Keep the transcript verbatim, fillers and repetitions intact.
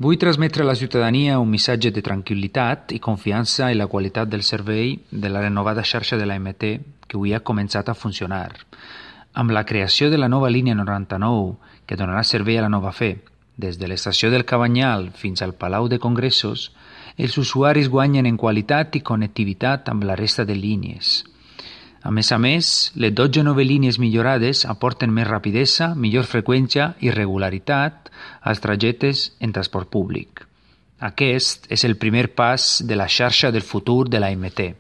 Vull transmetre a la ciutadania un missatge de tranquil·litat i confiança en la qualitat del servei de la renovada xarxa de l'A M T que avui ha començat a funcionar. Amb la creació de la nova línia noranta-nou, que donarà servei a la Nova Fe, des de l'estació del Cabanyal fins al Palau de Congressos, els usuaris guanyen en qualitat i connectivitat amb la resta de línies. A més a més, les dotze noves línies millorades aporten més rapidesa, millor freqüència i regularitat als trajectes en transport públic. Aquest és el primer pas de la xarxa del futur de l'A M T.